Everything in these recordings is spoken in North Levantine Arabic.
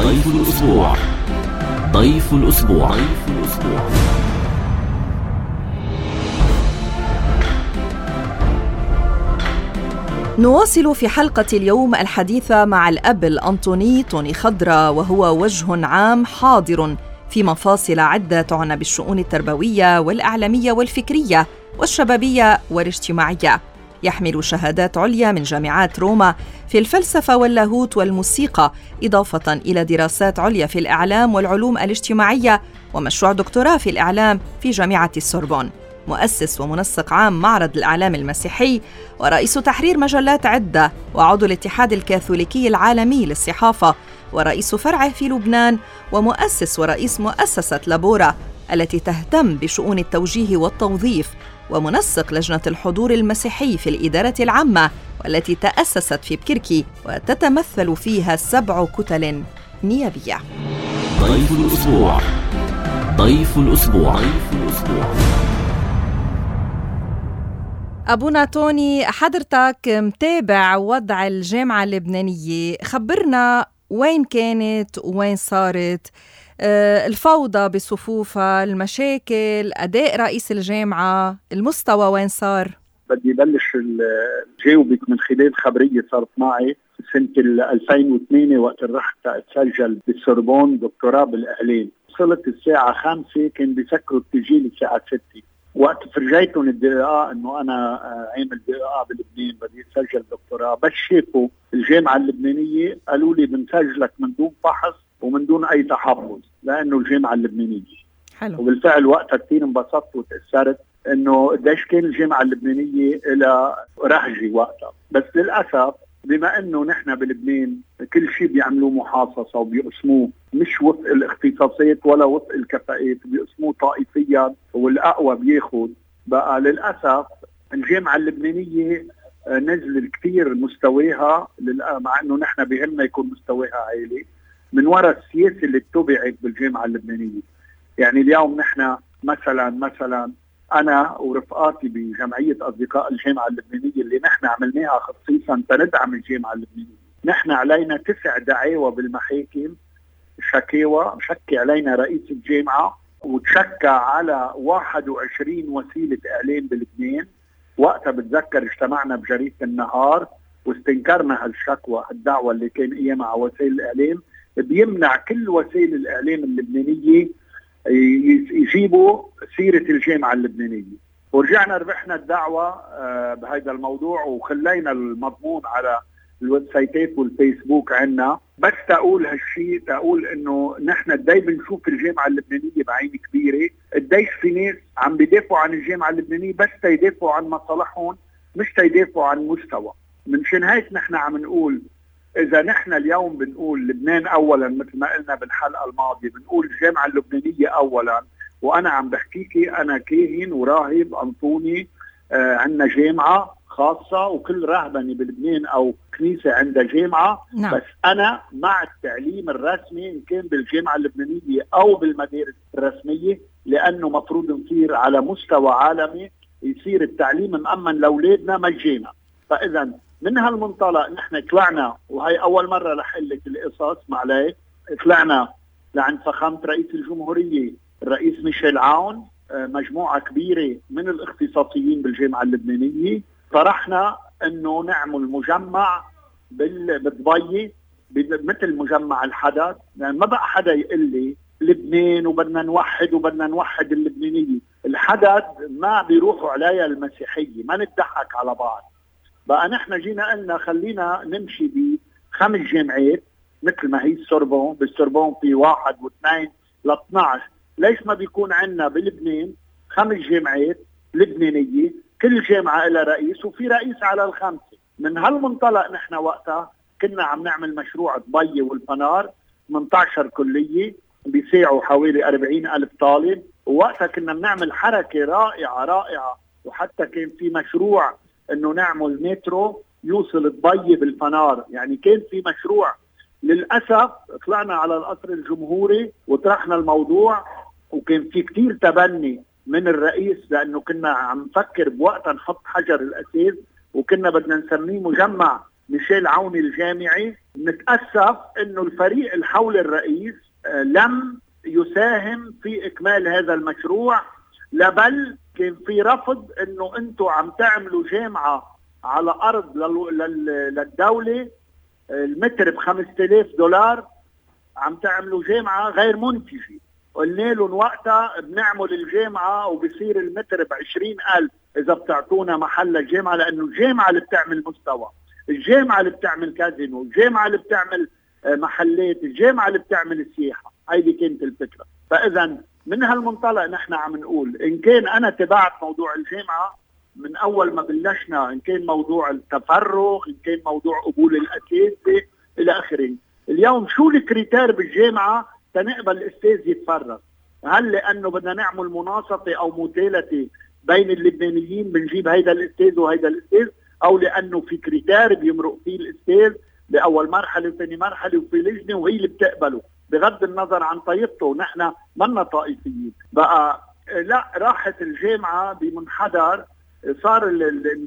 ضيف الأسبوع. ضيف الأسبوع. نواصل في حلقة اليوم الحديث مع الأب الأنطوني توني خضرة، وهو وجه عام حاضر في مفاصل عدة تعنى بالشؤون التربوية والإعلامية والفكرية والشبابية والاجتماعية. يحمل شهادات عليا من جامعات روما في الفلسفة واللاهوت والموسيقى، إضافة إلى دراسات عليا في الإعلام والعلوم الاجتماعية ومشروع دكتوراه في الإعلام في جامعة السوربون. مؤسس ومنسق عام معرض الإعلام المسيحي ورئيس تحرير مجلات عدة، وعضو الاتحاد الكاثوليكي العالمي للصحافة، ورئيس فرعه في لبنان، ومؤسس ورئيس مؤسسة لابورا التي تهتم بشؤون التوجيه والتوظيف، ومنسق لجنة الحضور المسيحي في الإدارة العامة والتي تأسست في بكركي وتتمثل فيها 7 كتل نيابية. ضيف الأسبوع. أبونا توني، حضرتك متابع وضع الجامعة اللبنانية، خبرنا وين كانت وين صارت، الفوضى بصفوفها، المشاكل، أداء رئيس الجامعة، المستوى وين صار؟ بدي بلش جاوبك من خلال خبرية صارت معي سنة 2008 وقت رحت أتسجل بالسوربون دكتوراه بالإعلام. وصلت الساعة 5 كان بيسكروا التسجيل الساعة 6. وقت فرجيتهم الدقاء انه انا عامل دقاء بلبنان بدي اسجل دكتوراه، بس شافوا الجامعة اللبنانية قالوا لي بنسجلك من دون فحص ومن دون اي تحفظ لانه الجامعة اللبنانية. حلو. وبالفعل وقتها كثير انبسطت وتأثرت انه قديش كان الجامعة اللبنانية لها رهجة وقتها. بس للأسف بما انه نحن بلبنان كل شيء بيعملوه محاصصة وبيقسموه مش وفق الاختصاصات ولا وفق الكفاءات، بيقسموه طائفيا والأقوى بياخد. بقى للأسف الجامعة اللبنانية نزل كثير مستواها، مع انه نحن بهمنا يكون مستواها عالي من وراء السياسة اللي اتبعت بالجامعة اللبنانية. يعني اليوم نحن مثلا أنا ورفقاتي بجمعية أصدقاء الجامعة اللبنانية اللي نحن عملناها خصيصا تندعم الجامعة اللبنانية، نحن علينا 9 دعاوى بالمحاكم، شكاوى شكي علينا رئيس الجامعة، وتشكى على 21 وسيلة إعلام بلبنان. وقتها بتذكر اجتمعنا بجريدة النهار واستنكرنا هالشكوى، الدعوة اللي كان ايامها على وسائل الإعلام بيمنع كل وسائل الإعلام اللبنانية يجيبوا سيرة الجامعة اللبنانية. ورجعنا ربحنا الدعوة بهذا الموضوع وخلينا المضمون على الويب سايتات والفيسبوك عنا. بس تقول هالشيء، تقول انه نحن قدي بنشوف الجامعة اللبنانية بعين كبيرة، قديش في ناس عم بيدافعوا عن الجامعة اللبنانية بس تيدافعوا عن مصالحهم مش تيدافعوا عن مستوى. منشان هيك نحن عم نقول إذا نحن اليوم بنقول لبنان أولاً مثل ما قلنا بالحلقة الماضية، بنقول الجامعة اللبنانية أولاً، وأنا عم بحكيكي أنا كاهن وراهب أنطوني، عندنا جامعة خاصة وكل رهبني بلبنان أو كنيسة عندها جامعة. نعم. بس أنا مع التعليم الرسمي إن كان بالجامعة اللبنانية أو بالمدارس الرسمية، لأنه مفروض نصير على مستوى عالمي يصير التعليم مأمن لأولادنا مجانا. فإذا من هالمنطلق نحن طلعنا، وهي أول مرة رح أقول لك القصص معلي، طلعنا لعند فخامة رئيس الجمهورية الرئيس ميشيل عون، مجموعة كبيرة من الاختصاصيين بالجامعة اللبنانية، طرحنا انه نعمل مجمع بالضبي مثل مجمع الحدث. يعني ما بقى حدا يقول لي لبنان وبدنا نوحد اللبنانية. الحدث ما بيروحوا عليها المسيحية، ما نضحك على بعض. بقى نحن جينا قلنا خلينا نمشي ب5 جامعات مثل ما هي السوربون. بالسوربون في 1 و2 ل12. ليش ما بيكون عندنا بلبنان 5 جامعات لبنانية، كل جامعة لها رئيس وفي رئيس على ال5؟ من هالمنطلق نحن وقتها كنا عم نعمل مشروع ضبي والفنار، 18 كلية بيساعوا حوالي 40,000 طالب. ووقتها كنا بنعمل حركة رائعة، وحتى كان في مشروع انه نعمل مترو يوصل ضبي بالفنار. يعني كان في مشروع. للأسف طلعنا على القصر الجمهوري وطرحنا الموضوع، وكان في كتير تبني من الرئيس، لأنه كنا عم نفكر بوقتها نحط حجر الأساس، وكنا بدنا نسميه مجمع ميشيل عوني الجامعي. نتأسف انه الفريق الحول الرئيس لم يساهم في اكمال هذا المشروع، بل كان في رفض انه انتم عم تعملوا جامعة على ارض للدولة، المتر $5000 عم تعملوا جامعة غير منتجة. قلنا لهم وقتها بنعمل الجامعة وبصير المتر ب20,000 إذا بتعطونا محل الجامعة، لأنه الجامعة اللي بتعمل مستوى، الجامعة اللي بتعمل كازينو، الجامعة اللي بتعمل محلات، الجامعة اللي بتعمل السياحة. هيدي كانت الفكرة. فإذا من هالمنطلق نحن عم نقول إن كان أنا تبعت موضوع الجامعة من أول ما بلشنا، إن كان موضوع التفرغ، إن كان موضوع قبول الأساتذة إلى آخره. اليوم شو الكريتير بالجامعة تنقبل الأستاذ يتفرغ؟ هل لأنه بدنا نعمل مناصفة أو متالة بين اللبنانيين بنجيب هيدا الأستاذ وهيدا الأستاذ، أو لأنه في كريتير بيمرق فيه الأستاذ بأول مرحلة وثاني مرحلة وفي لجنة وهي اللي بتقبله بغض النظر عن طائفته؟ نحن منا طائفيين. بقى لا، راحت الجامعة بمنحدر، صار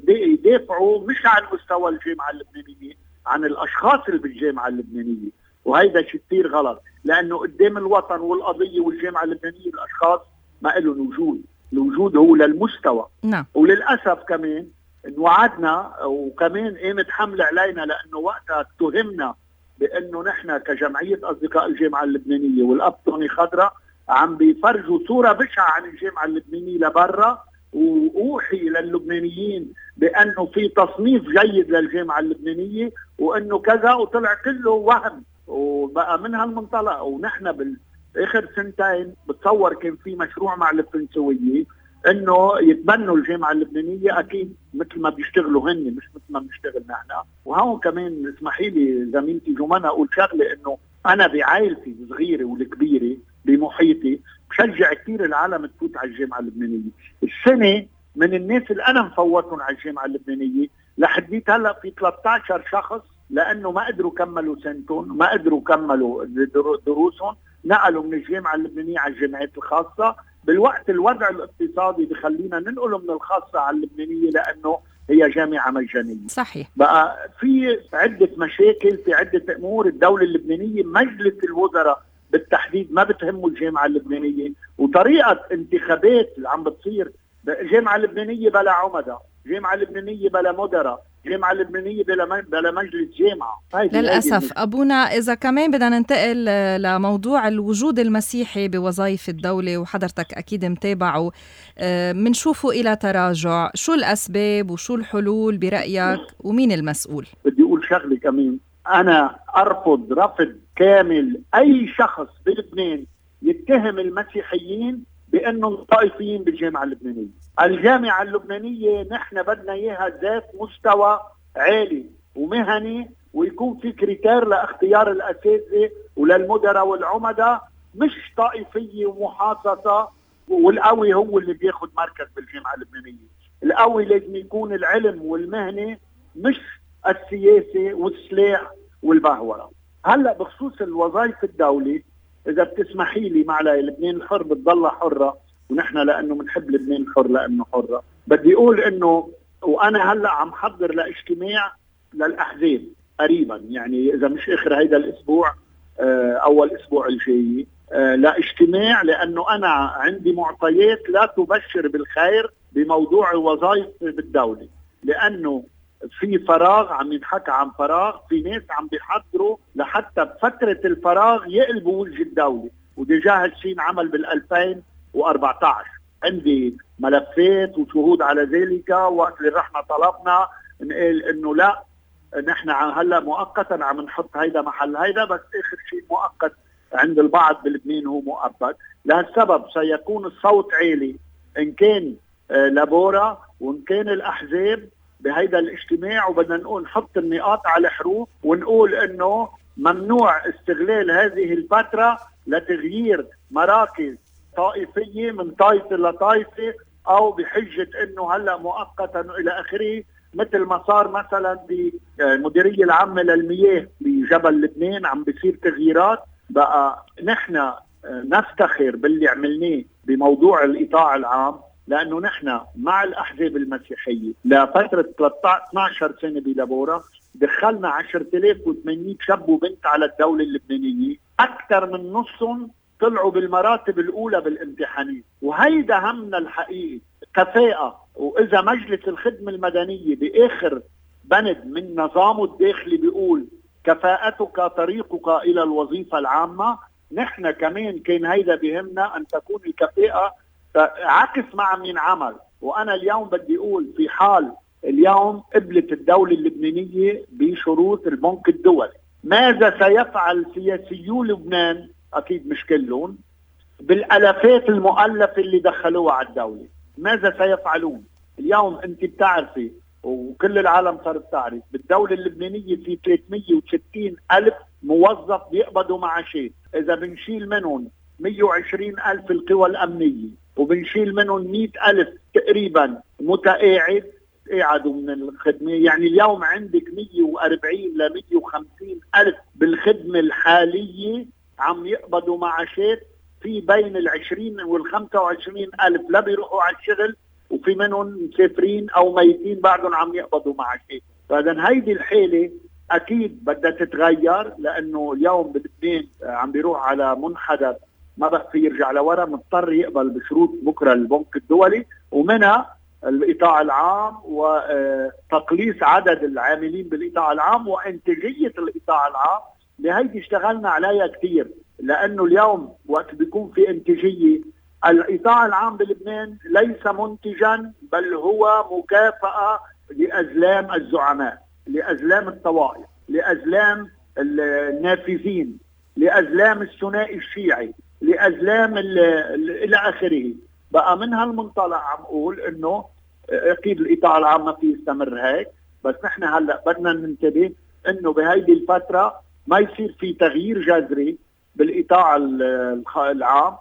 يدافعوا مش عن مستوى الجامعة اللبنانية، عن الأشخاص اللي بالجامعة اللبنانية. وهيدا شيء كتير غلط، لأنه قدام الوطن والقضية والجامعة اللبنانية الأشخاص ما لهم وجود. الوجود هو للمستوى. نعم. وللأسف كمان انوعدنا وكمان قامت حملة علينا، لأنه وقتها اتهمنا بأنه نحن كجمعية أصدقاء الجامعة اللبنانية والأبطني خضراء عم بيفرجوا صورة بشعة عن الجامعة اللبنانية لبرا، وأوحي للبنانيين بأنه في تصنيف جيد للجامعة اللبنانية وأنه كذا، وطلع كله وهم. وبقى من هالمنطلق ونحن بالآخر سنتين بتصور كان في مشروع مع الفرنسوية انه يتبنوا الجامعة اللبنانية، اكيد مثل ما بيشتغلوا هن مش مثل ما بنشتغل نحن. وهون كمان اسمحي لي زميلتي جمانة اقول شغله، انه انا بعائلتي الصغيره والكبيره بمحيطي بشجع كثير العالم تفوت على الجامعة اللبنانية. السنه من الناس اللي انا مفوتهم على الجامعة اللبنانية لحديت هلا في 13 شخص لانه ما قدروا كملوا سنتهم، ما قدروا كملوا دروسهم، نقلوا من الجامعة اللبنانية على الجامعات الخاصة. بالوقت الوضع الاقتصادي بخلينا ننقله من الخاصة على اللبنانية لأنه هي جامعة مجانية. صحيح. بقى في عدة مشاكل، في عدة أمور. الدولة اللبنانية مجلس الوزراء بالتحديد ما بتهمه الجامعة اللبنانية، وطريقة انتخابات اللي عم بتصير، جامعة لبنانية بلا عمدة، جامعة لبنانية بلا مدراء، جامعة لبنانية بلا مجلس جامعة. للأسف أبونا، إذا كمان بدنا ننتقل لموضوع الوجود المسيحي بوظائف الدولة، وحضرتك أكيد متابعه، منشوفه إلى تراجع. شو الأسباب وشو الحلول برأيك ومين المسؤول؟ بدي أقول شغلة كمان، أنا أرفض رفض كامل أي شخص بلبنان يتهم المسيحيين بأنهم طائفيين بالجامعة اللبنانية. الجامعة اللبنانية نحن بدنا إياها ذات مستوى عالي ومهني، ويكون في كريتير لاختيار الأساتذة وللمدراء والعمداء، مش طائفية ومحاصصة والقوي هو اللي بياخد مركز بالجامعة اللبنانية. القوي لازم يكون العلم والمهنة، مش السياسة والسلاح والبهورة. هلأ بخصوص الوظائف الدولة، إذا بتسمحي لي معلي، لبنان الحر بتضل حرة، ونحن لأنه بنحب لبنان الحر لأنه حرة. بدي أقول إنه وأنا هلأ عم حضر لاجتماع للأحزاب قريبا، يعني إذا مش آخر هيدا الأسبوع أول أسبوع الجاي، لاجتماع، لأنه أنا عندي معطيات لا تبشر بالخير بموضوع الوظائف بالدولة، لأنه في فراغ، عم ينحكى عن فراغ، في ناس عم بيحضروا لحتى بفترة الفراغ يقلبوا وجه الدولة، وديجا هالشي عمل بال2014. عندي ملفات وشهود على ذلك. وقت اللي رحنا طلبنا نقول انه لا، نحن هلا مؤقتا عم نحط هيدا محل هيدا، بس اخر شيء مؤقت عند البعض بلبنان هو مؤقت. لهالسبب سيكون الصوت عالي ان كان لابورا وان كان الاحزاب بهيدا الاجتماع، وبدنا نقول نحط النقاط على حروف ونقول انه ممنوع استغلال هذه الفترة لتغيير مراكز طائفية من طائفة لطائفة، او بحجة انه هلأ مؤقتا الى اخره، مثل ما صار مثلا بالمديرية العامة للمياه بجبل لبنان عم بيصير تغييرات. بقى نحن نفتخر باللي عملناه بموضوع الإيطاع العام، لأنه نحن مع الأحزاب المسيحية لفترة 12 سنة بلابورا دخلنا 10,800 شاب وبنت على الدولة اللبنانية، أكثر من نصهم طلعوا بالمراتب الأولى بالامتحانات. وهيدا همنا الحقيقي كفاءة. وإذا مجلس الخدمة المدنية بآخر بند من نظامه الداخلي بيقول كفاءتك طريقك إلى الوظيفة العامة، نحن كمان كان هيدا بهمنا أن تكون الكفاءة عكس مع من عمل. وأنا اليوم بدي أقول في حال اليوم قبلت الدولة اللبنانية بشروط البنك الدولي، ماذا سيفعل سياسيو لبنان؟ أكيد مش كلهم، بالألافات المؤلفة اللي دخلوها على الدولة. ماذا سيفعلون؟ اليوم أنت بتعرفي وكل العالم صارت تعرف بالدولة اللبنانية في 360 ألف موظف بيقبضوا معاشات. إذا بنشيل منهم 120 ألف القوى الأمنية وبنشيل منهم 100 ألف تقريبا متقاعد قاعدوا من الخدمة، يعني اليوم عندك 140 ل 150 ألف بالخدمة الحالية عم يقبضوا معاشات. في بين 20 وال 25 ألف لا بيروحوا على الشغل، وفي منهم مسافرين أو ميتين بعدهم عم يقبضوا معاشات. فإذا هيدي الحالة أكيد بدها تتغير، لأنه اليوم بلبنان عم بيروح على منحدر ما بقى في يرجع لورا، مضطر يقبل بشروط بكرة البنك الدولي ومنها القطاع العام وتقليص عدد العاملين بالقطاع العام وانتاجية القطاع العام. لهيدي اشتغلنا عليها كثير، لأنه اليوم وقت بيكون في انتاجية القطاع العام بلبنان ليس منتجا، بل هو مكافأة لأزلام الزعماء، لأزلام الطوائف، لأزلام النافذين، لأزلام الثنائي الشيعي، لأزلام إلى آخره. بقى من هالمنطلق عم أقول إنه أكيد القطاع العام ما في يستمر هيك، بس نحن هلأ بدنا ننتبه إنه بهيدي الفترة ما يصير في تغيير جذري بالقطاع العام،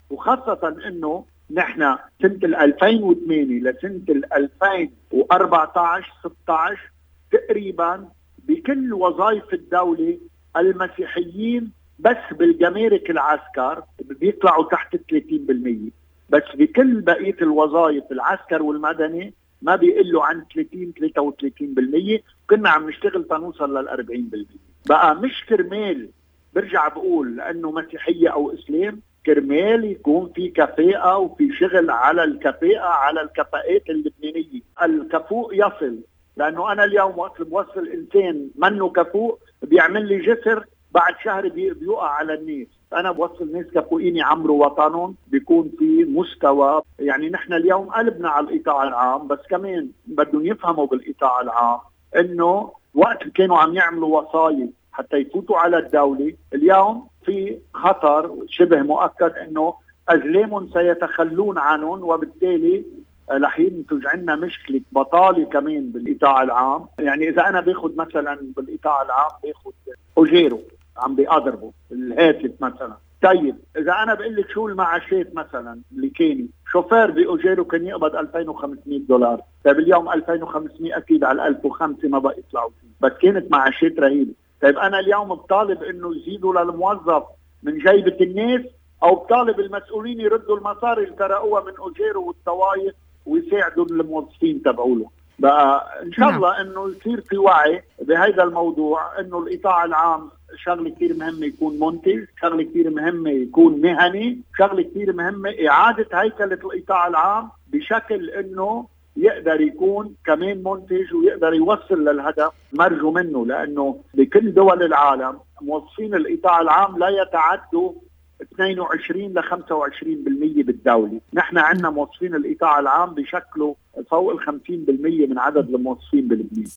وخاصة إنه نحن سنة 2008 لسنة 2014-16 تقريبا بكل وظائف الدولة المسيحيين بس بالجمارك العسكر بيطلعوا تحت 30%، بس بكل بقية الوظائف العسكر والمدني ما بيقلوا عن 30-33%. كنا عم نشتغل تنوصل لل40%. بقى مش كرمال برجع بقول لأنه مسيحية أو إسلام، كرمال يكون في كفاءة وفي شغل على الكفاءة، على الكفاءات اللبنانية. الكفوء يصل، لأنه أنا اليوم وقت بوصل إنسان منه كفوء بيعمل لي جسر بعد شهر بيوقع على الناس. أنا بوصل ناس كفؤين يعمروا وطنهم، بيكون في مستوى. يعني نحن اليوم قلبنا على القطاع العام، بس كمان بدهم يفهموا بالقطاع العام إنه وقت كانوا عم يعملوا وصاية حتى يفوتوا على الدولة، اليوم في خطر شبه مؤكد إنه أزلامهم سيتخلون عنهم، وبالتالي رح ينتج عنا مشكلة بطالة كمان بالقطاع العام. يعني إذا أنا باخد مثلا بالقطاع العام باخد أجيره عم بيقدربوا الهاتف مثلا، طيب إذا أنا بقول لك شو المعاشات مثلا اللي كاني شوفير بأجيره كان يقبض $2500، طيب اليوم 2500 أكيد على 1005 ما بقى يطلعوا فيه، بس كانت معاشات رهيبة. طيب أنا اليوم بطالب إنه يزيدوا للموظف من جيبة الناس، أو بطالب المسؤولين يردوا المصاري اللي سرقوها من أجيره والطوائف ويساعدوا الموظفين تبعوله. بقى إن شاء الله إنه يصير في وعي بهذا الموضوع، إنه القطاع العام شغلة كتير مهمة يكون منتج، شغلة كتير مهمة يكون مهني، شغلة كتير مهمة إعادة هيكلة القطاع العام بشكل إنه يقدر يكون كمان منتج ويقدر يوصل للهدف مرجو منه. لأنه بكل دول العالم موظفين القطاع العام لا يتعدوا 22 ل 25% بالدولة. نحن عندنا موظفين القطاع العام بشكله فوق 50% من عدد الموظفين بلبنان.